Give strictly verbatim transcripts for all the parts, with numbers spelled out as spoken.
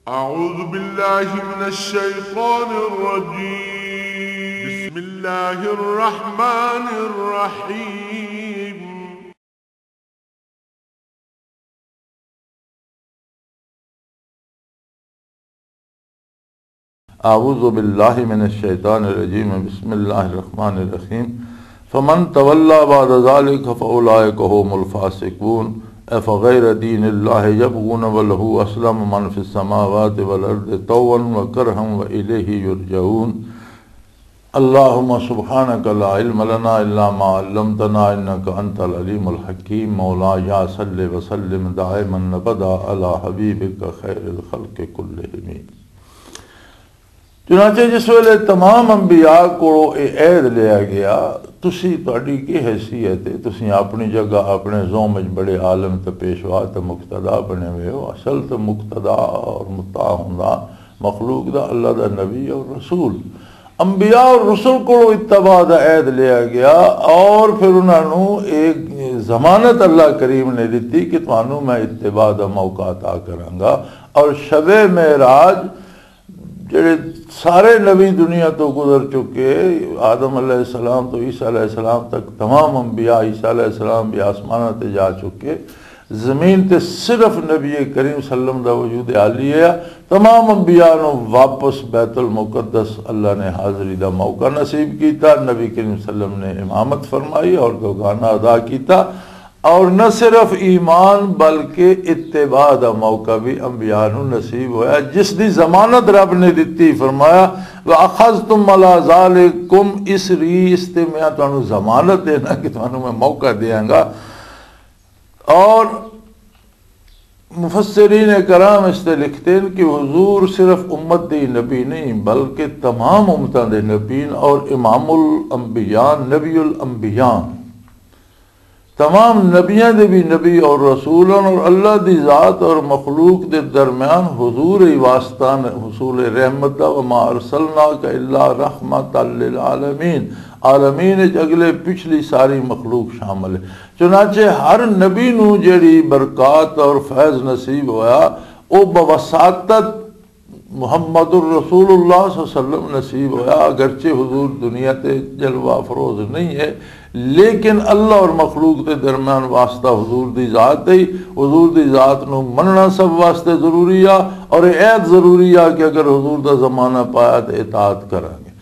أعوذ بالله من الشيطان الرجيم. بسم الله الرحمن الرحيم. أعوذ بالله من الشيطان الرجيم. بسم الله الرحمن الرحيم. فمن تولى بعد ذلك فأولئك هم الفاسقون. أفغير دين الله يبغون وله أسلم من في السماوات والأرض طوعا وكرها وإليه يرجعون. اللهم سبحانك لا علم لنا إلا ما علمتنا إنك أنت العليم الحكيم. مولاي صل وسلم دائما أبدا على حبيبك خير الخلق كلهم. چنانچہ جس ویلے تمام انبیاء کو یہ عہد لیا گیا، تسی، تہاڈی کی حیثیت ہے؟ تسی اپنی جگہ اپنے زوم وچ بڑے عالم تے پیشوا تے مقتدا بنے ہوئے ہو۔ اصل تے مقتدا اور مطاع ہوندا مخلوق دا اللہ دا نبی اور رسول۔ انبیاء اور رسل کو اتباع دا عہد لیا گیا، اور پھر انہاں نوں ایک ضمانت اللہ کریم نے دتی کہ تانوں میں اتباع دا موقع عطا کراں گا۔ اور شب معراج جڑے سارے نبی دنیا تو گزر چکے، آدم علیہ السلام تو عیسیٰ علیہ السلام تک تمام انبیاء، عیسیٰ علیہ السلام بھی آسماناں تے جا چکے، زمین تے صرف نبی کریم صلی اللہ علیہ وسلم دا وجود عالی ہے۔ تمام انبیاء نو واپس بیت المقدس اللہ نے حاضری دا موقع نصیب کیتا، نبی کریم صلی اللہ علیہ وسلم نے امامت فرمائی اور دوگانہ ادا کیتا۔ اور نہ صرف ایمان بلکہ اتباع دا موقع بھی انبیاء نو نصیب ہویا، جس دی ضمانت رب نے دتی۔ فرمایا، "وَأَخَذْتُمْ عَلَى ذَلِكُمْ إِصْرِي"، اس تے میں تانوں ضمانت دینا کہ تانوں میں موقع دیاں گا۔ اور مفسرین کرام اس تے لکھتے ہیں کہ حضور صرف امت دی نبی نہیں بلکہ تمام امتاں دے نبی اور امام الانبیاء، نبی الانبیاء۔ تمام نبیاں دے بھی نبی اور رسول ہن، اور اللہ دی ذات اور مخلوق دے درمیان حضور ہی واسطہ نے حصول رحمت دا، "وما ارسلناک الا رحمتا للعالمین"، عالمین وچ اگلے پچھلی ساری مخلوق شامل ہے۔ چنانچہ ہر نبی نو جڑی برکات اور فیض نصیب ہویا، او بوساطت محمد الرسول اللہ صلی اللہ علیہ وسلم نصیب ہویا، اگرچہ حضور دنیا تے جلوہ افروز نہیں ہے، لیکن اللہ اور مخلوق دے درمیان واسطہ حضور دی ذات ہے۔ حضور دی ذات نو مننا سب واسطے ضروری آ، اور یہ عہد ضروری آ کہ اگر حضور دا زمانہ پایا تے اطاعت کریں گے۔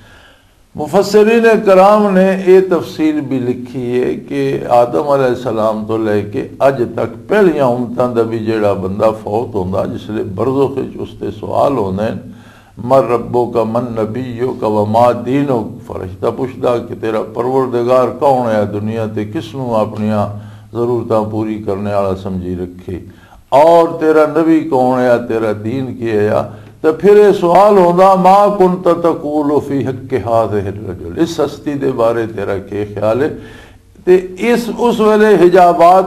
مفسرین کرام نے یہ تفصیل بھی لکھی ہے کہ آدم علیہ السلام تو لے کے اج تک پہلیاں امتاں دا بھی جڑا بندہ فوت ہوندا، جس لے برزخ وچ اس تے سوال ہوندے ہیں، "من ربک، من نبیک و ما دینک؟" فرشتہ پوچھدا کہ تیرا پروردگار کون ہے، دنیا تے کس نوں اپنیاں ضرورتاں پوری کرنے والا سمجھی رکھے، اور تیرا نبی کون ہے، تیرا دین کی ہے؟ تو پھر یہ سوال ہوندا، "ما کنت تقول فی حق هذا الرجل"، اس ہستی دے بارے تیرا کی خیال ہے؟ تے اس، اس ویلے حجابات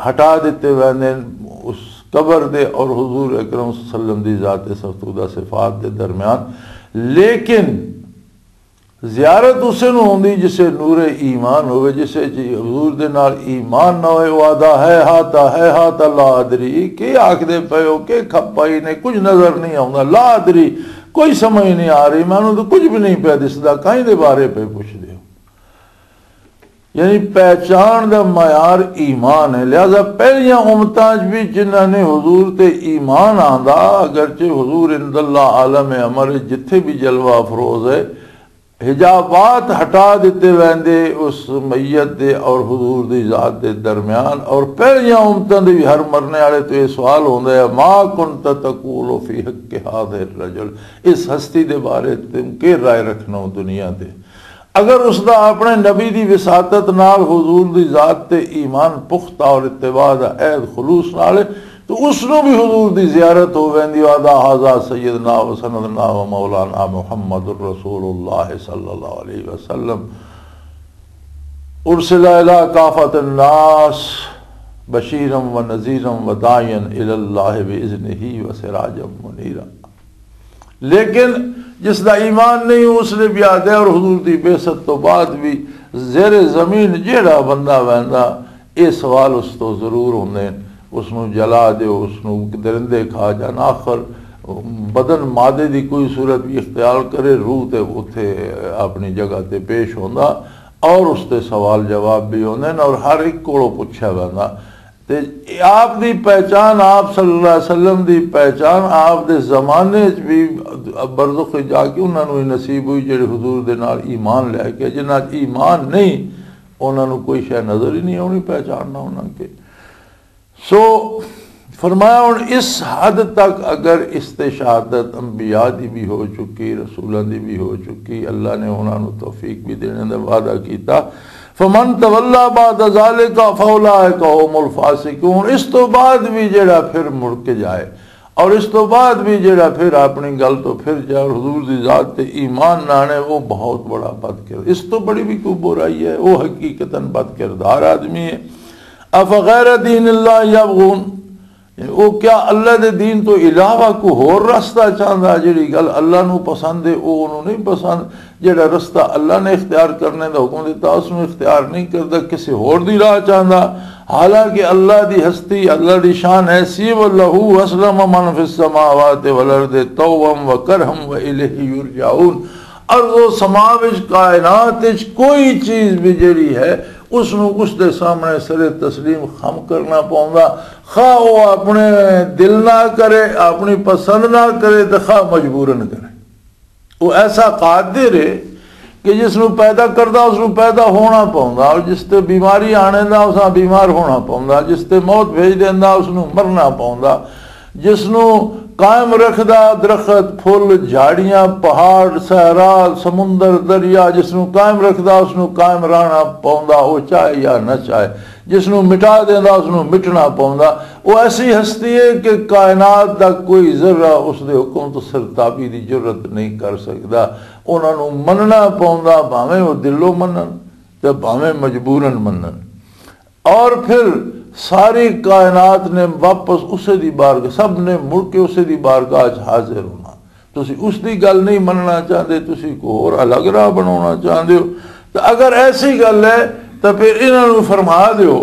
ہٹا دیتے ویندے نے اس قبر دے اور حضور اکرم صلی اللہ علیہ وسلم دی ذات سرتودہ صفات دے درمیان۔ لیکن زیارت اسے نوں ہوندی جسے نور ایمان ہوئے، جسے جی حضور دے نال ایمان نہ ہوئے، وہ آدھا، "ہے ہاتا، ہے ہاتا، لا ادری"، کی آکھ دے پے ہو، کہ کھپائی نے، کچھ نظر نہیں آوندا، "لا ادری"، کوئی سمجھ نہیں آ رہی، مینوں تو کچھ بھی نہیں پیا دسدا، کہیں دے بارے پہ پوچھ دے ہو۔ یعنی پہچان دا معیار ایمان ہے۔ لہذا پہلیاں امتاں وچ بھی جنہاں نے حضور تے ایمان آندا، اگرچہ حضور عند اللہ عالم امر ہے، جتھے بھی جلوہ افروز ہے، حجابات ہٹا دیتے ویندے اس میت دے اور حضور دی ذات دے درمیان۔ اور پہلیاں امتاں دے بھی ہر مرنے والے تو یہ سوال ہوندا ہے، "ما کنت تقول فی حق هذا الرجل"، اس ہستی دے بارے تم کی رائے رکھنا ہو دنیا دے؟ اگر اس دا اپنے نبی دی وساطت نال حضور دی ذات تے ایمان پختہ اور اتباع دا عہد خلوص نال ہے، تو اس نو بھی حضور دی زیارت ہو ویندی۔ وعدا هذا سیدنا و سندنا و مولانا محمد رسول اللہ صلی اللہ علیہ وسلم، ارسل الی کافۃ الناس بشیرا و نذیرا و داعیا الی اللہ باذنہ و سراجا منیرا۔ لیکن جس دا ایمان نہیں، اس نے بھی آدھے اور حضور دی بعثت تو بعد بھی زیر زمین جیڑا بندہ ویندا، اے سوال اس تو ضرور ہوندے ہیں۔ اس نو جلا دیو، اس نو درندے کھا جان، آخر بدن مادے دی کوئی صورت بھی اختیار کرے، روح تے اتھے اپنی جگہ تے پیش ہوندا، اور اس تے سوال جواب بھی ہوندے نے، اور ہر ایک کولوں پوچھیا ویندا۔ تے آپ دی پہچان، آپ صلی اللہ علیہ وسلم دی پہچان، آپ دے زمانے وچ بھی برزخ وچ جا کے انہاں نوں ہی نصیب ہوئی، جڑے حضور دے نال ایمان لے کے، جنہاں وچ ایمان نہیں، انہاں نوں کوئی شے نظر ہی نہیں آونی، پہچاننا انہاں کے۔ سو فرمایا، ہن اس حد تک اگر استشہادت انبیاء دی بھی ہو چکی، رسولاں دی بھی ہو چکی، اللہ نے انہاں نوں توفیق بھی دینے دا وعدہ کیتا، فمن تولا بعد ذالک فاولئک هم الفاسقون، اس تو بعد بھی جڑا پھر مڑ کے جائے اور اس تو بعد بھی جڑا پھر اپنی گل تو پھر جائے اور حضور دی ذات تے ایمان نہ آنے، وہ بہت بڑا بد کردار، اس تو بڑی بھی کوئی برائی ہے، وہ حقیقتاً بد کردار آدمی ہے۔ افغیر دین اللہ یبغون، یعنی وہ کیا اللہ دے دین تو علاوہ کوئی ہور رستہ چاہندا؟ جڑی گل اللہ نو پسند ہے، وہ انہوں نہیں پسند۔ جڑا رستہ اللہ نے اختیار کرنے دا حکم دیتا، اس نو اختیار نہیں کردا، کسی ہور دی راہ چاہندا۔ حالانکہ اللہ دی ہستی، اللہ دی شان ایسی ہے، وَلَهُ أَسْلَمَ مَنْ فِي السَّمَاوَاتِ وَالْأَرْضِ طَوْعًا وَكَرْهًا وَإِلَيْهِ يُرْجَعُونَ۔ ارض و سما وچ، کائنات وچ کوئی چیز بھی جڑی ہے، اس نو اس دے سامنے سر تسلیم خم کرنا پوندا، خواہ وہ اپنے دل نہ کرے، اپنی پسند نہ کرے، تے خواہ مجبوراً کرے۔ وہ ایسا قادر ہے کہ جس نو پیدا کردا، اس نو پیدا ہونا پوندا، اور جس تے بیماری آنے دا، اس نال بیمار ہونا پوندا، جس تے موت بھیج دیندا، اس نو مرنا پوندا، جس نو قائم رکھدا، درخت، پھل، جھاڑیاں، پہاڑ، صحرا، سمندر، دریا، جس نو قائم رکھدا، اس نو قائم رہنا پوندا، وہ چاہے یا نہ چاہے۔ جس نو مٹا دیندا، اس نو مٹنا پوندا۔ وہ ایسی ہستی ہے کہ کائنات دا کوئی ذرہ اس دے حکم تو سرتابی دی جرت نہیں کر سکدا۔ انہاں نو مننا پوندا، بھاویں وہ دلوں منن تے بھاویں مجبوراً منن۔ اور پھر ساری کائنات نے واپس اسے دی بارگاہ، سب نے مڑ کے اسے دی بارگاہ چ حاضر ہونا۔ تسی اس دی گل نہیں مننا چاہندے، تسی کو ہور الگ راہ بناونا چاہندے ہو۔ تو اگر ایسی گل ہے تو پھر انہاں نوں فرما دیو،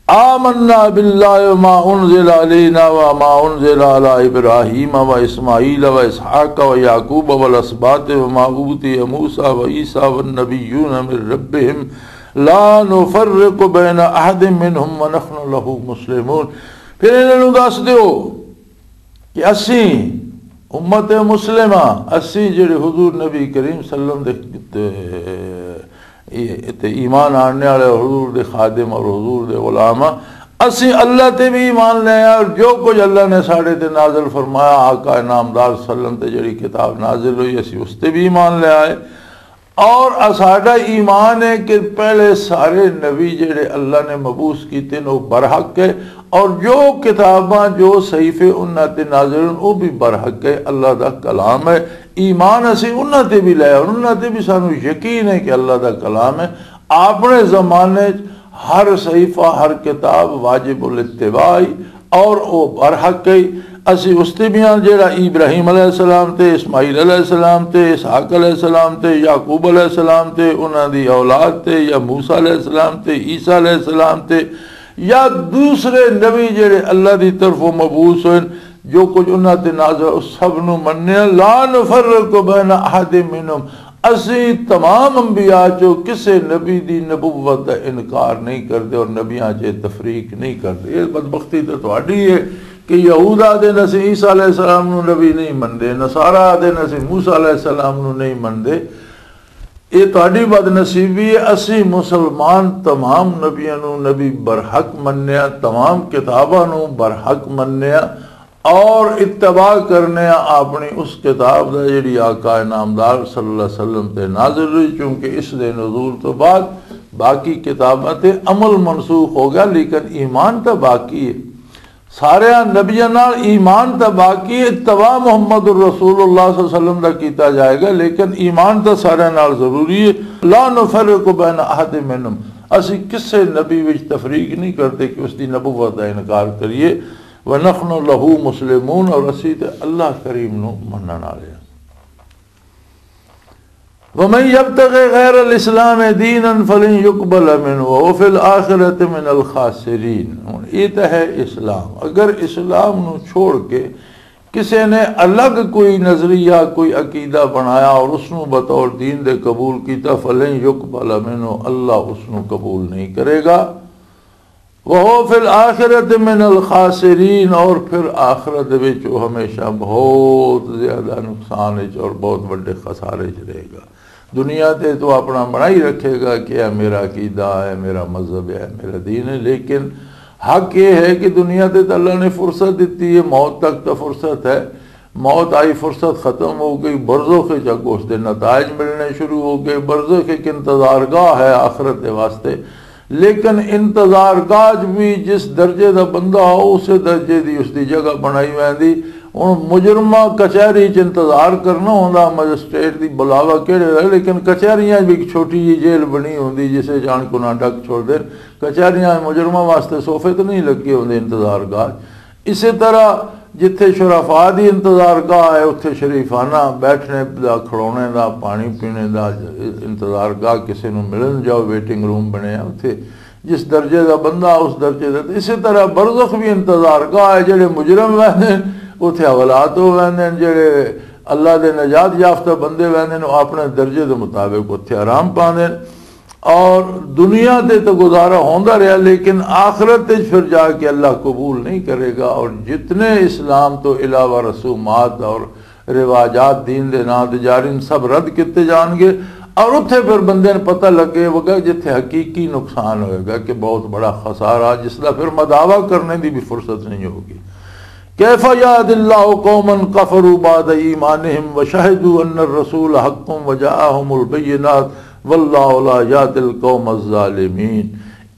آمنا باللہ وما انزل علینا وما انزل علی ابراہیم و اسماعیل و اسحاق و یعقوب والاسباط وما اوتی موسی و عیسی والنبیون من ربهم لا نفرق بین احد منهم ونحن له مسلمون۔ پھر انہاں نوں دس دیو کہ اسی امت مسلمہ، اسی جڑے حضور نبی کریم صلی اللہ علیہ وسلم دے تے ایمان آننے والے، حضور دے خادم اور حضور دے غلام ہاں، اسی اللہ تے بھی ایمان لے آئے اور جو کچھ اللہ نے ساڑے تے نازل فرمایا، آقا نامدار صلی اللہ علیہ وسلم تے جڑی کتاب نازل ہوئی، اسی اس تے بھی ایمان لے آئے۔ اور اساڈا ایمان ہے کہ پہلے سارے نبی جڑے اللہ نے مبعوث کیتے نے، وہ برحق ہے، اور جو کتاباں، جو صحیفے انہاں تے نازل ہیں، وہ بھی برحق ہے، اللہ دا کلام ہے۔ ایمان اسی انہاں تے بھی لے، اور انہاں تے بھی سانو یقین ہے کہ اللہ دا کلام ہے۔ اپنے زمانے چ ہر صحیفہ، ہر کتاب واجب الاتباع ہی، اور او برحق ہے۔ اسی اس تے بھی ہاں جڑا ابراہیم علیہ السلام تے، اسماعیل علیہ السلام تے، اسحاق علیہ السلام تے، یعقوب علیہ السلام تے، انہاں دی اولاد تے، یا موسیٰ علیہ السلام تے، عیسیٰ علیہ السلام تے، یا دوسرے نبی جڑے اللہ دی طرفوں مبعوث ہوئے، جو کچھ انہاں تے نازل، اس سب نو مننے، لا نفرق بین احد منہم، اسی تمام انبیاء چوں کسے نبی دی نبوت دا انکار نہیں کردے اور نبیاں چ تفریق نہیں کردے۔ یہ بدبختی تے تہاڈی ہے کہ یہود آدے نے اسی عیسیٰ علیہ السلام نو نبی نہیں مندے، نصارہ آدے نے اسی موسیٰ علیہ السلام نو نہیں مندے۔ یہ تہاڈی بد نصیبی ہے۔ اسی مسلمان تمام نبیاں نو نبی برحق منیا، تمام کتاباں نو برحق منیا، اور اتباع کرنے آ اپنی اس کتاب دا جڑی آقا نامدار صلی اللہ علیہ وسلم تے نازل ہوئی، چونکہ اس دے نزول تو بعد باقی کتاباں تے عمل منسوخ ہو گیا، لیکن ایمان تے باقی ہے۔ سارے نبیاں نال ایمان تے باقی ہے، اتباع محمد الرسول اللہ صلی اللہ علیہ وسلم دا کیتا جائے گا، لیکن ایمان تے سارے نال ضروری ہے۔ لا نفرق بین احد منہم، اسی کسے نبی وچ تفریق نہیں کرتے کہ اس دی نبوت دا انکار کریے۔ وَنَحْنُ لَهُ مُسْلِمُونَ، اور اسی تے اللہ کریم نو منن والے ہاں۔ وَمَن يَبْتَغِ غَيْرَ الْإِسْلَامِ دِينًا فَلَن يُقْبَلَ مِنْهُ وَهُوَ فِي الْآخِرَةِ مِنَ الْخَاسِرِينَ۔ ہن یہ تے ہے اسلام، اگر اسلام نو چھوڑ کے کسے نے الگ کوئی نظریہ، کوئی عقیدہ بنایا اور اس نو بطور دین دے قبول کیتا، فلن یقبل منہ، اللہ اس نو قبول نہیں کرے گا۔ وہو فی الآخرۃ من الخاسرین، اور پھر آخرت وچ وہ ہمیشہ بہت زیادہ نقصان وچ اور بہت وڈے خسارے وچ رہے گا۔ دنیا تے تو اپنا بنائی رکھے گا کہ اے میرا عقیدہ ہے، میرا مذہب ہے، میرا دین ہے، لیکن حق یہ ہے کہ دنیا تے تو اللہ نے فرصت دیتی ہے، موت تک تو فرصت ہے۔ موت آئی، فرصت ختم ہو گئی، برزخ وچ اگوں اس دے نتائج ملنے شروع ہو گئے۔ برزخ ایک انتظار گاہ ہے آخرت دے واسطے، لیکن انتظار گاہ وچ بھی جس درجے دا بندہ ہو، اسے درجے دی اس دی جگہ بنائی ویندی۔ ہن مجرمہ کچہری چ انتظار کرنا ہوندا، مجسٹریٹ دی بلاوا کہڑے ویلے، لیکن کچہریاں وچ بھی ایک چھوٹی جی جیل بنی ہوندی، جسے جان کو نہ ڈک چھوڑ دے۔ کچہریاں مجرمہ واسطے صوفے تے نہیں لگے ہوندے انتظار گاہ۔ اسی طرح جتھے شرفا دی انتظار گاہ ہے، اتھے شریفانہ بیٹھنے دا، کھڑونے دا، پانی پینے دا انتظار گاہ، کسے نوں ملن جاؤ، ویٹنگ روم بنے آ اتھے۔ جس درجے دا بندہ، اس درجے دا۔ اسی طرح برزخ بھی انتظار گاہ ہے، جڑے مجرم ویندے نے اتھے حوالات ہو ویندے نے، جڑے اللہ دے نجات یافتہ بندے ویندے نے، وہ اپنے درجے دے مطابق اتھے آرام پاندے نے۔ اور دنیا تے تو گزارا ہوندا رہیا، لیکن آخرت وچ پھر جا کے اللہ قبول نہیں کرے گا۔ اور جتنے اسلام تو علاوہ رسومات اور رواجات دین دے نام تے جاری نے، سب رد کیتے جان گے۔ اور اتھے پھر بندے نے پتہ لگے ہوگا جتھے حقیقی نقصان ہوئے گا کہ بہت بڑا خسارہ، جس دا پھر مداوا کرنے دی بھی فرصت نہیں ہوگی۔ کیف یہد اللہ قوما کفروا بعد ایمانہم وشہدوا ان الرسول حق وجاءہم البینات واللہ لا یہد القوم الظالمین۔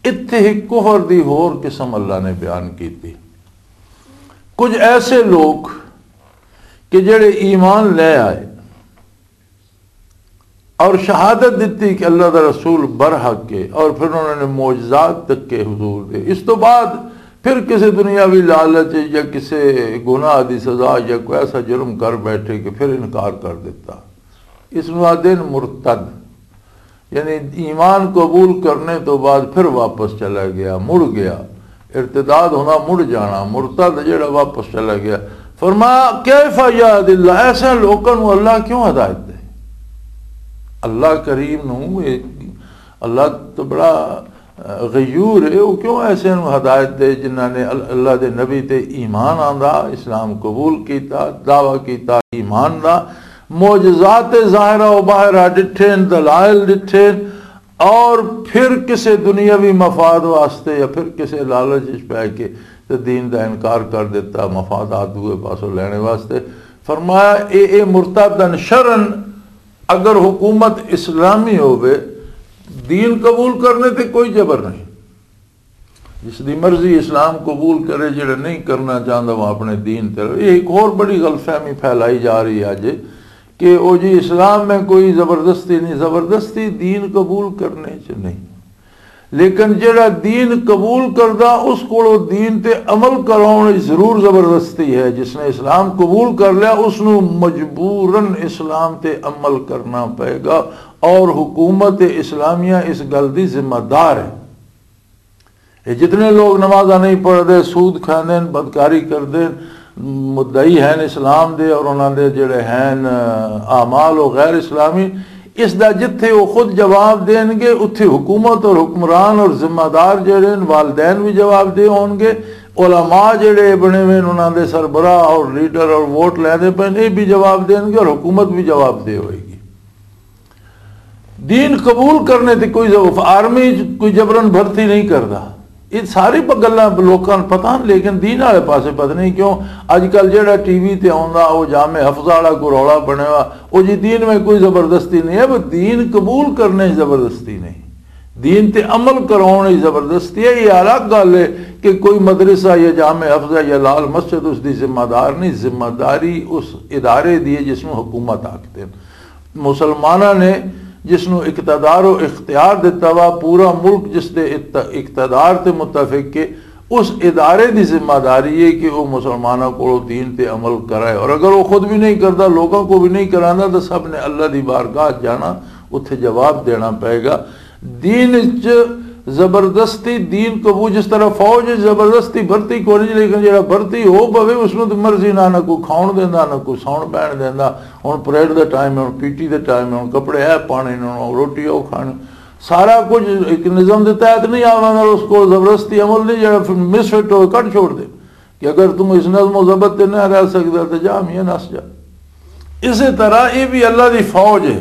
اتھے ہی کفر دی ہور قسم اللہ نے بیان کیتی۔ کچھ ایسے لوگ کہ جڑے ایمان لے آئے اور شہادت دیتی کہ اللہ دا رسول برحق ہے، اور پھر انہوں نے معجزات تک کے حضور دے، اس تو بعد پھر کسی دنیاوی لالچ یا کسی گناہ دی سزا یا کوئی ایسا جرم کر بیٹھے کہ پھر انکار کر دیتا، اس نوں آدھے نے مرتد۔ یعنی ایمان قبول کرنے تو بعد پھر واپس چلا گیا، مڑ گیا۔ ارتداد ہونا مڑ جانا، مرتد جڑا واپس چلا گیا۔ فرمایا، کیف یہد اللہ، ایسے لوگوں نوں اللہ کیوں ہدایت دے؟ اللہ کریم نوں، اے، اللہ تو بڑا غیور ہے، وہ کیوں ایسے نوں ہدایت دے جنہاں نے ال-، اللہ دے نبی تے ایمان آندا، اسلام قبول کیتا، دعویٰ کیتا ایمان دا، معجزات ظاہرہ و باہرہ ڈٹھے، دلائل ڈٹھے، اور پھر کسے دنیاوی مفاد واسطے یا پھر کسے لالچ وچ پے کے تے دین دا انکار کر دیتا، مفادات دوئے پاسوں لینے واسطے۔ فرمایا، اے، اے مرتدن شرن، اگر حکومت اسلامی ہووے، دین قبول کرنے تے کوئی جبر نہیں۔ جس دی مرضی اسلام قبول کرے، جڑا نہیں کرنا چاہندا، وہ اپنے دین تے رہے۔ یہ ایک اور بڑی غلط فہمی پھیلائی جا رہی ہے اج کہ او جی، اسلام میں کوئی زبردستی نہیں۔ زبردستی دین قبول کرنے چ نہیں، لیکن جڑا دین قبول کردا، اس کولو دین تے عمل کراؤن وچ ضرور زبردستی ہے۔ جس نے اسلام قبول کر لیا، اس نو مجبوراً اسلام تے عمل کرنا پائے گا، اور حکومت اسلامیہ اس گل دی ذمہ دار ہے۔ یہ جتنے لوگ نمازاں نہیں پڑھتے، سود کھاندے ہیں، بدکاری کردے ہیں، مدعی ہیں اسلام دے اور انہاں دے جڑے ہیں، آ، اعمال و غیر اسلامی، اس دا جتھے وہ خود جواب دین گے، اتھے حکومت اور حکمران اور ذمہ دار جڑے ہیں، والدین بھی جواب دے ہون گے، علماء جڑے بنے ہوئے ہیں، انہاں دے سربراہ اور لیڈر اور ووٹ لیندے پے، یہ بھی جواب دین گے اور حکومت بھی جواب دے ہوئے گی۔ دین قبول کرنے تے کوئی ضعف، آرمی چ کوئی جبرن بھرتی نہیں کردا۔ یہ ساری پ-، گلاں لوکاں نوں پتہ ہن، لیکن دین والے پاسے پتہ نہیں کیوں اج کل جڑا ٹی وی تے آوندا، او جامع حفظہ والا کوئی رولا بنیا ہوا، او جی دین میں کوئی زبردستی نہیں ہے۔ وہ دین قبول کرنے چ زبردستی نہیں، دین تے عمل کراؤن چ زبردستی ہے۔ یہ الگ گل ہے کہ کوئی مدرسہ یا جامع حفظہ یا لال مسجد اس دی ذمہ دار نہیں۔ ذمہ داری اس ادارے دی ہے جس نوں حکومت آکھدے نے۔ مسلماناں نے جس نوں اقتدار و اختیار دتا وا، پورا ملک جس دے ات-، اقتدار تے متفق ہے، اس ادارے دی ذمہ داری ہے کہ وہ مسلماناں کو دین تے عمل کرائے، اور اگر وہ خود بھی نہیں کرتا، لوگوں کو بھی نہیں کرانا، تو سب نے اللہ دی بارگاہ جانا، اتھے جواب دینا پائے گا۔ دین وچ زبردستی دین قبول، جس طرح فوج وچ زبردستی بھرتی کوئی نہیں، لیکن جڑا بھرتی ہو پوے، اس نوں تے مرضی نہ، نہ کوئی کھاؤن دیندا، نہ کوئی ساؤن پہن دیندا۔ ہن پریڈ دا ٹائم ہے، ہن پی ٹی دا ٹائم ہے، ہن کپڑے اے پانے نے، ہن روٹی او کھانی۔ سارا کچھ ایک نظام دے تحت نہیں آوندا، اس کو زبردستی عمل نہیں، جڑا پھر مس فٹ ہوئے، کٹ چھوڑ دے۔ کہ اگر تم اس نظم و ضبط تے نہ رہ سکدا تے جا میاں نس جا۔ اسی طرح یہ بھی اللہ دی فوج ہے،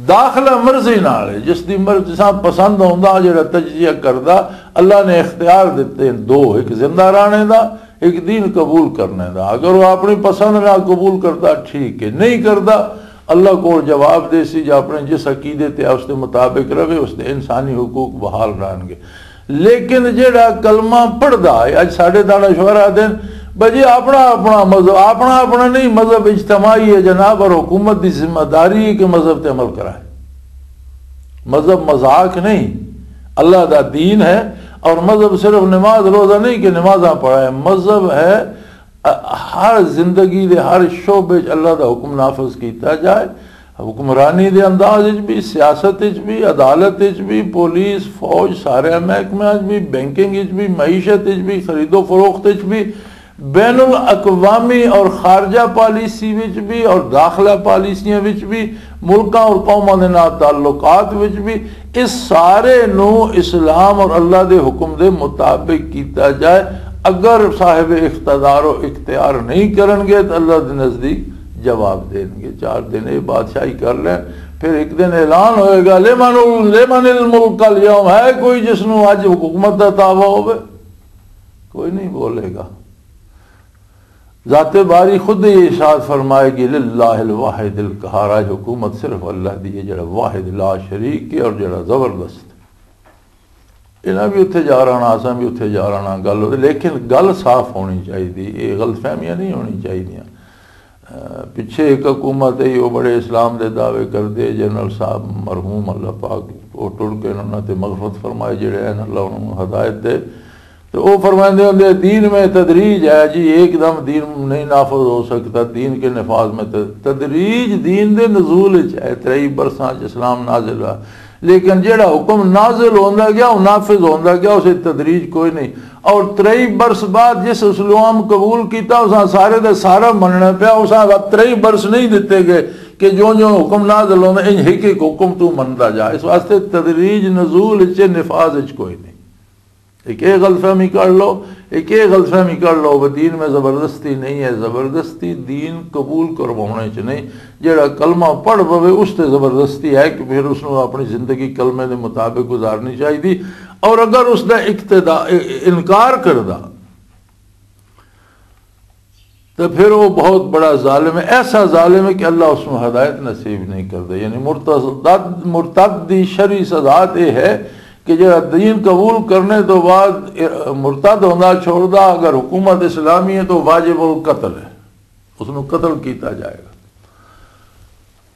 داخلہ مرضی نال ہے، جس دی مرضی سا پسند ہوندا جڑا تجزیہ کردا۔ اللہ نے اختیار دتے ہیں دو، ایک زندہ رانے دا، ایک دین قبول کرنے دا۔ اگر وہ اپنی پسند نال قبول کردا، ٹھیک ہے، نہیں کردا، اللہ کو جواب دے سی، جو اپنے جس عقیدے تے اس دے مطابق رہے، اس دے انسانی حقوق بحال رہن گے۔ لیکن جڑا کلمہ پڑھدا ہے، اج ساڈے دانا شوہر آدھے نے، "بھائی جی، اپنا اپنا مذہب، اپنا اپنا نہیں، مذہب اجتماعی ہے جناب، اور حکومت دی ذمہ داری ہے کہ مذہب تے عمل کرائے۔" مذہب مذاق نہیں، اللہ دا دین ہے۔ اور مذہب صرف نماز روزہ نہیں کہ نمازاں پڑھائے، مذہب ہے، ا-، ہر زندگی دے ہر شعبے چ اللہ دا حکم نافذ کیتا جائے۔ حکمرانی دے انداز وچ بھی، سیاست وچ بھی، عدالت وچ بھی، پولیس، فوج، سارے محکمے وچ بھی، بینکنگ وچ بھی، معیشت وچ بھی، خرید و فروخت وچ بھی، بین الاقوامی اور خارجہ پالیسی وچ بھی اور داخلہ پالیسیاں وچ بھی، ملکاں اور قوماں دے نال تعلقات وچ بھی، اس سارے نو اسلام اور اللہ دے حکم دے مطابق کیتا جائے۔ اگر صاحب اقتدار و اختیار نہیں کرن گے تو اللہ دے نزدیک جواب دین گے۔ چار دن یہ بادشاہی کر لیں، پھر ایک دن اعلان ہوئے گا، "لمن ال-، لمن الملک الیوم"، ہے کوئی جس نو اج حکومت دا دعویٰ ہوئے؟ کوئی نہیں بولے گا۔ ذات باری خود یہ ارشاد فرمائے گی، "للہ الواحد القہار"، آج حکومت صرف اللہ دی ہے، جڑا واحد لا شریک ہے اور جڑا زبردست۔ انہاں بھی اتھے جا رہنا، اساں بھی اتھے جا رہنا، گل ہوتی، لیکن گل صاف ہونی چاہیے، یہ غلط فہمیاں نہیں ہونی چاہیے۔ اہ، پچھے ایک حکومت ہے، وہ بڑے اسلام دے دعوے کردے، جنرل صاحب مرحوم، اللہ پاک وہ ٹر کے انہاں تے مغفرت فرمائے، جڑے ہیں، اللہ انہاں نوں ہدایت دے۔ تو وہ فرماندے ہوندے، "دین میں تدریج ہے جی، ایک دم دین نہیں نافذ ہو سکتا، دین کے نفاذ میں ت-، تدریج دین دے نزول وچ ہے، ترئی برساں چ اسلام نازل ہوا۔" لیکن جڑا حکم نازل ہوندا گیا، وہ نافذ ہوندا گیا، اسے تدریج کوئی نہیں۔ اور ترئی برس بعد جس اسلام قبول کیتا، اساں سارے دے سارا مننا پیا، اساں ترئی برس نہیں دتے گئے کہ جو جو حکم نازل ہوندا، انج ایک ایک حکم تو مندا جا۔ اس واسطے تدریج نزول وچ، نفاذ وچ کوئی نہیں۔ ایک یہ غلط فہمی کر لو، ایک یہ غلط فہمی کر لو، وہ دین میں زبردستی نہیں ہے، زبردستی دین قبول کروانے چ نہیں۔ جڑا کلمہ پڑھ پوے، اس تے زبردستی ہے کہ پھر اس نوں اپنی زندگی کلمے دے مطابق گزارنی چاہیے۔ اور اگر اس دا اقتدا، انکار کردا، تو پھر وہ بہت بڑا ظالم ہے، ایسا ظالم ہے کہ اللہ اس نوں ہدایت نصیب نہیں کردا۔ یعنی مرتد، مرتد دی شرعی سزا تے یہ ہے کہ جڑا دین قبول کرنے تو بعد مرتد ہوندا چھوڑدا، اگر حکومت اسلامی ہے تو واجب القتل ہے، اس نوں قتل کیتا جائے گا۔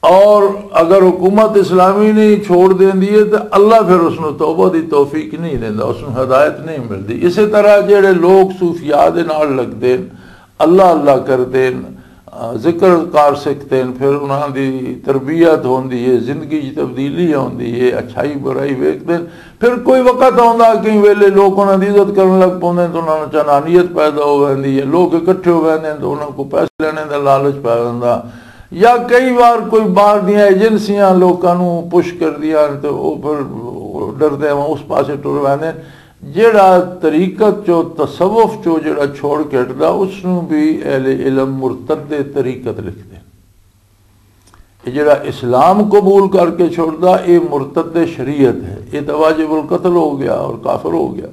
اور اگر حکومت اسلامی نہیں چھوڑ دیندی ہے تو اللہ پھر اس نوں توبہ دی توفیق نہیں دیندا، اس نوں ہدایت نہیں ملدی۔ اسی طرح جڑے لوگ صوفیاء دے نال لگدے ہیں، اللہ اللہ کردے ہیں، آ، ذکر کار سکھدے ہیں، پھر انہاں دی تربیت ہوندی ہے، زندگی دی تبدیلی ہوندی ہے، اچھائی برائی ویکھدے ہیں۔ پھر کوئی وقت آوندا، کئی ویلے لوگ انہاں دی عزت کرن لگ پوندے ہیں، تو انہاں نوں چنانیت پیدا ہو ویندی ہے، لوگ اکٹھے ہو ویندے ہیں، تو انہاں کو پیسے لینے دا لالچ پیا ویندا۔ یا کئی وار کوئی باہر دیاں ایجنسیاں لوکاں نوں پش کردیاں ہن تے او پھر ڈردے ہوں اس پاسے ٹر ویندے ہن۔ جیڑا طریقت چو، تصوف چو جیڑا چھوڑ کے ہٹدا، اس نوں بھی اہل علم مرتد طریقت لکھدے ہن۔ یہ جڑا اسلام قبول کر کے چھوڑدا، یہ مرتد شریعت ہے، یہ تو واجب القتل ہو گیا اور کافر ہو گیا۔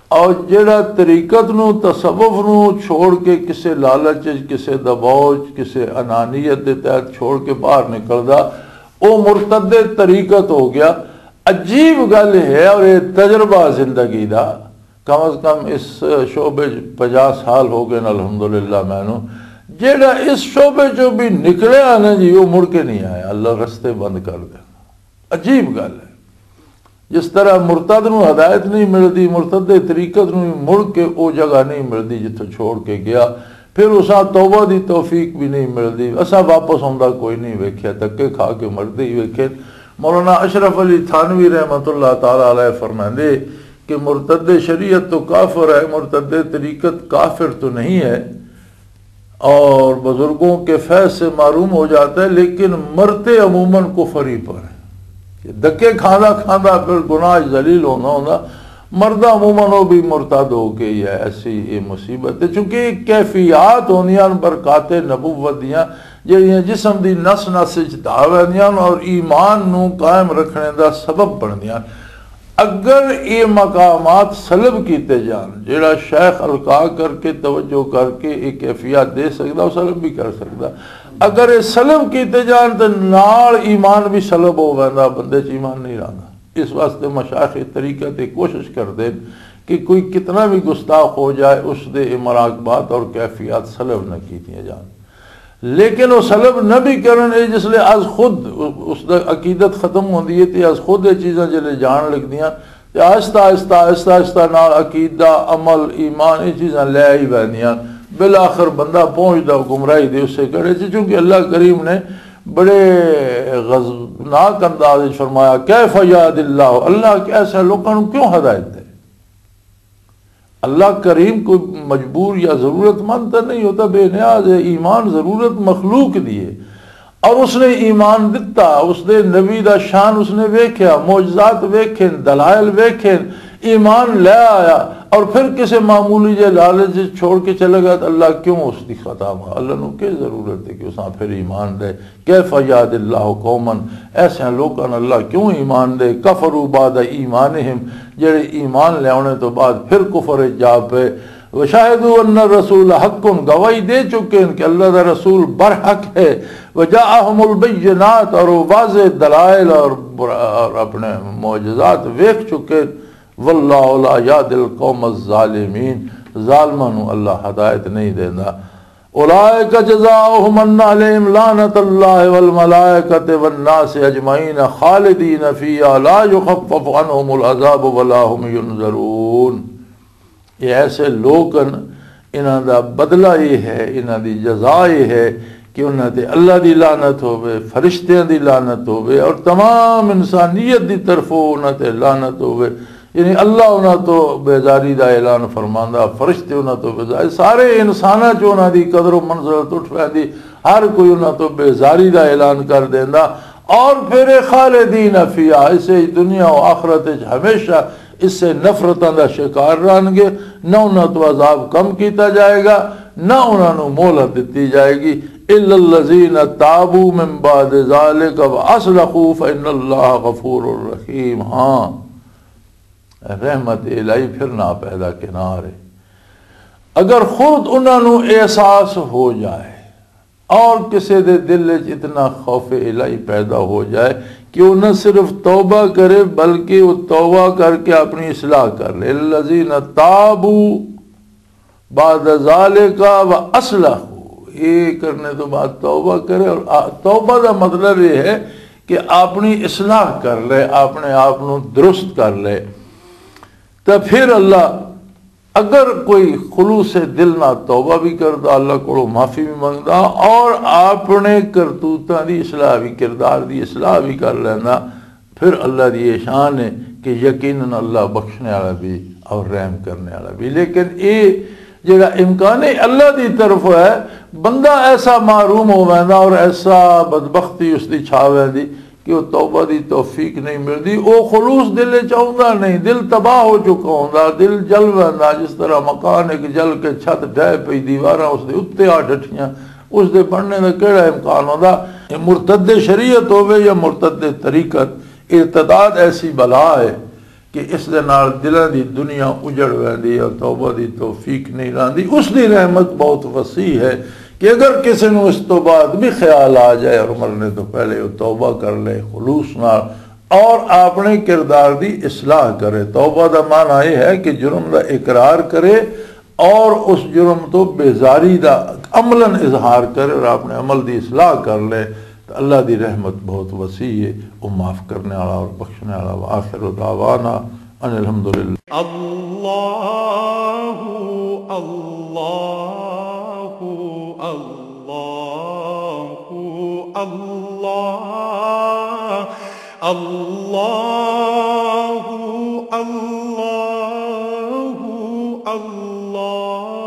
اور جڑا طریقت نو، تصوف نو چھوڑ کے کسے لالچ وچ، کسے دباؤ وچ، کسے انانیت دے تحت چھوڑ کے باہر نکلدا، او مرتد طریقت ہو گیا۔ عجیب گل ہے، اور یہ تجربہ زندگی دا، کم از کم اس شعبے چ پنجاہ سال ہو گئے نے الحمدللہ مینوں۔ جیڑا اس شعبے چوں بھی نکلیا نا جی، وہ مڑ کے نہیں آیا، اللہ رستے بند کر دے۔ عجیب گل ہے، جس طرح مرتد نو ہدایت نہیں ملدی، مرتد دے طریقت نو بھی مڑ کے وہ جگہ نہیں ملدی جتھوں چھوڑ کے گیا، پھر اساں توبہ دی توفیق بھی نہیں ملدی۔ اساں واپس آوندا کوئی نہیں ویکھیا، دھکے کھا کے مردے ہی ویکھے۔ مولانا اشرف علی تھانوی رحمۃ اللہ تعالی علیہ فرمائندے کہ مرتد شریعت تو کافر ہے، مرتد طریقت کافر تو نہیں ہے، اور بزرگوں کے فیض سے محروم ہو جاتا ہے، لیکن مرتے عموماً کفر ہی پر ہے۔ دکے کھاندا کھاندا پھر گناہ ذلیل ہونا ہونا، مردا عموماً وہ بھی مرتد ہو کے ہی ہے۔ ایسی یہ مصیبت ہے، چونکہ یہ کیفیات ہوندیاں برکات نبوت دیاں، جہڑیاں جسم دی نس نس وچ دھا ویندیاں اور ایمان نو قائم رکھنے دا سبب بندیاں۔ اگر یہ مقامات سلب کیتے جان، جڑا شیخ القا کر کے، توجہ کر کے یہ کیفیات دے سکدا، وہ سلب بھی کر سکدا۔ اگر یہ سلب کیتے جان تو نال ایمان بھی سلب ہو ویندا، بندے چ ایمان نہیں رہندا۔ اس واسطے مشائخ طریقت یہ کوشش کردے کہ کوئی کتنا بھی گستاخ ہو جائے، اس دے یہ مراقبات اور کیفیات سلب نہ کیتیاں جان۔ لیکن وہ سلب نہ بھی کرن، اے جس لے از خود اس دا عقیدت ختم ہوندی ہے، تے از خود یہ چیزاں جلے جان لگدیاں، تے آہستہ آہستہ، آہستہ آہستہ نال عقیدہ، عمل، ایمان، یہ چیزاں لے ہی ویندیاں۔ بالآخر بندہ پہنچدا گمراہی دے اسے کڑے چ، چونکہ اللہ کریم نے بڑے غضبناک انداز وچ فرمایا، "کیف یہد اللہ"، اللہ کہ ایسے لوکاں نوں کیوں ہدایت دے؟ اللہ کریم کوئی مجبور یا ضرورت مند تو نہیں ہوتا، بے نیاز ہے۔ ایمان ضرورت مخلوق دی ہے، اور اس نے ایمان دتا، اس نے نبی دا شان اس نے ویکھیا، معجزات ویکھے، دلائل ویکھے، ایمان لے آیا، اور پھر کسے معمولی جے لالچ چھوڑ کے چلے گیا تو اللہ کیوں اس دی خطا ماں؟ اللہ نو کی ضرورت ہے کہ اساں پھر ایمان دے؟ کیف یہد اللہ قوما، ایسے لوکاں نوں اللہ کیوں ایمان دے؟ کفروا بعد ایمانہم، جڑے ایمان لیاونے تو بعد پھر کفر وچ جا پے۔ وشاہدوا ان الرسول حق، گواہی دے چکے ہیں کہ اللہ دا رسول برحق ہے۔ وجاءہم البینات، اور وہ واضح دلائل اور بر-، اور اپنے معجزات ویکھ چکے۔ واللہ لا یہدی القوم الظالمین، ظالماں نوں اللہ ہدایت نہیں دیندا۔ اولئک جزاؤہم ان علیہم لعنت اللہ والملائکۃ والناس اجمعین خالدین فیہا لا یخفف عنہم العذاب ولا هم ینظرون۔ یہ ایسے لوگ ہیں، انہاں دا بدلہ یہ ہے، انہاں دی جزا یہ ہے کہ انہاں تے اللہ دی لعنت ہوے، فرشتیاں دی لعنت ہوے اور تمام انسانیت دی طرفوں انہاں تے لعنت ہوے۔ یعنی اللہ انہاں تو بیزاری دا اعلان فرماندا، فرشتے انہاں تو بیزار، سارے انساناں چ انہاں دی قدر و منزلت اٹھ ویندی، ہر کوئی انہاں تو بیزاری دا اعلان کر دیندا۔ اور پھر خالدین فیہا، اسے دنیا و آخرت وچ ہمیشہ اسے نفرتاں دا شکار رہن گے، نہ انہاں تو عذاب کم کیتا جائے گا، نہ انہاں نوں مہلت دتی جائے گی۔ الا الذین تابوا من بعد ذلک واصلحوا فان اللہ غفور رحیم۔ ہاں، رحمت الہی پھر نہ پیدا کنار ہے۔ اگر خود انہاں نوں احساس ہو جائے اور کسے دے دل وچ اتنا خوف الہی پیدا ہو جائے کہ وہ نہ صرف توبہ کرے بلکہ وہ توبہ کر کے اپنی اصلاح کر لے۔ الذین تابوا بعد ذالک و اصلحوا، یہ کرنے تو بعد توبہ کرے۔ اور آ-، توبہ دا مطلب یہ ہے کہ اپنی اصلاح کر لے، اپنے آپ نو درست کر لے۔ تو پھر اللہ، اگر کوئی خلوص دل نہ توبہ بھی کردا، اللہ کو معافی بھی منگدا اور اپنے کرتوتاں دی اصلاح بھی، کردار دی اصلاح بھی کر لیندا، پھر اللہ دی یہ شان ہے کہ یقیناً اللہ بخشنے والا بھی اور رحم کرنے والا بھی۔ لیکن یہ جڑا امکان ہے اللہ دی طرف ہے، بندہ ایسا محروم ہو ویندا اور ایسا بدبختی اس دی چھا ویندی کہ وہ توبہ دی توفیق نہیں ملدی۔ وہ خلوص دل وچ آوندا نہیں، دل تباہ ہو چکا ہوندا، دل جل ویندا۔ جس طرح مکان ایک جل کے چھت ڈھہ پئی، دیواراں اس دے اُتے آ ڈٹھیاں، اس دے بننے دا کیڑا امکان ہوندا؟ یہ مرتد شریعت ہووے یا مرتد طریقت، ارتداد ایسی بلا ہے کہ اس دے نال دلاں دی دنیا اجڑ ویندی ہے اور توبہ دی توفیق نہیں رہندی۔ اس دی رحمت بہت وسیع ہے کہ اگر کسی نوں اس تو بعد بھی خیال آ جائے اور مرنے تو پہلے وہ توبہ کر لے خلوص نال اور اپنے کردار دی اصلاح کرے۔ توبہ دا معنی یہ ہے کہ جرم دا اقرار کرے اور اس جرم تو بیزاری دا عملاً اظہار کرے اور اپنے عمل دی اصلاح کر لے، تو اللہ دی رحمت بہت وسیع ہے، وہ معاف کرنے والا اور بخشنے والا۔ وآخر دعوانا ان الحمدللہ۔ اللہ، اللہ، اللہ، اللہ۔ اللہ، اللہ، اللہ۔